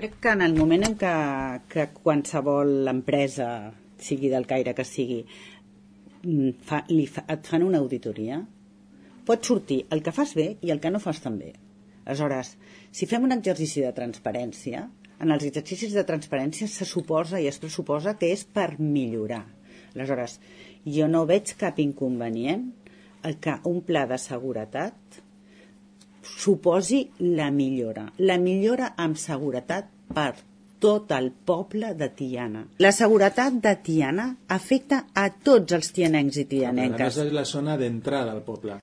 crec que en el moment en que qualsevol empresa, sigui del caire que sigui, et fan una auditoria, pot sortir el que fas bé i el que no fas tan bé. Aleshores, si fem un exercici de transparència, en els exercicis de transparència se suposa i es pressuposa que és per millorar. Aleshores, jo no veig cap inconvenient el que un pla de seguretat suposi la millora amb seguretat per tot el poble de Tiana. La seguretat de Tiana afecta a tots els tianencs i tianenques. A més, és la zona d'entrada al poble.